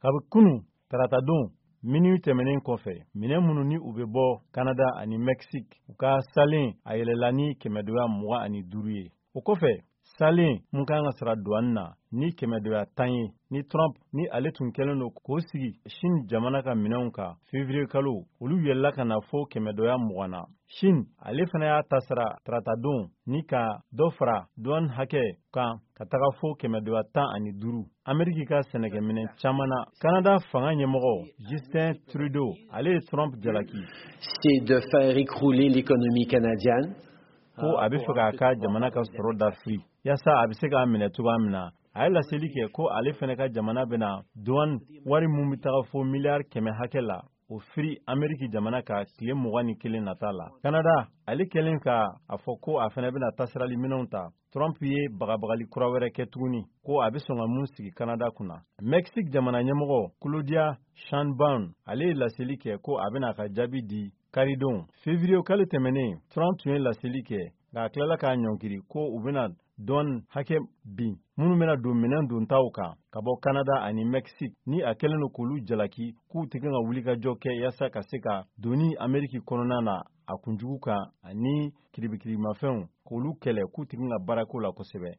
Kabi kunu taratadon minuit tɛmɛnen kɔfɛ, minɛn minnu ni u bɛ bɔ Kanada ani Mexique, u ka salen a yɛlɛla ni kɛmɛdoya 25 ye. O kɔfɛ, salen mun kan ka sara douane na ni kɛmɛdoya 10 ye, ni Trump ni ale tun kɛlen don k'o sigi Chine jamana ka minɛnw kan février kalo, olu yɛlɛla ka na fo kɛmɛdoya 20 na. Chine ale fana y'a ta sara taratadon ni ka dɔ fara douane hakɛ kan ka taga fo kɛmɛdoya 15 Ameriki ka sɛnɛkɛminɛn caman na. Kanada fanga ɲɛmɔgɔ Justin Trudeau, ale ye Trump jalaki. C'est de faire écrouler l'économie canadienne. Ko a bɛ fɛ k'a ka jamana ka sɔrɔ dafiri yaasa a bɛ se k'a minɛ cogoya min na. A ye laseli kɛ ko ale fana ka jamana bɛna douane wari mun bɛ taga fo miliyari 100 hakɛ la, o firi Ameriki jamana ka tile 21 nata la. Kanada ale kɛlen ka a fɔ ko a fana bɛna tasirali minɛnw ta, Trump ye bagabagali kura wɛrɛ kɛ tuguni ko a bɛ sɔn ka mun sigi Kanada kunna. Mexique jamana ɲɛmɔgɔ Claudia Sheinbaum, ale ye laseli kɛ ko a bɛna a ka jaabi di karidon. Février kalo tɛmɛnen, Trump tun ye laseli kɛ, nka a tilala k'a ɲɔngiri ko u bɛna douane hakɛ bin minnu bɛna don minɛn dontaw kan ka bɔ Kanada ani Mexique, ni a kɛlen don k'olu jalaki k'u tɛ kan ka wulikajɔ kɛ yaasa ka se ka doni Ameriki kɔnɔna na a kunjugu kan ani kiribikiririmafɛnw k'olu kɛlɛ, k'u tɛ kan ka baarako la kosɛbɛ.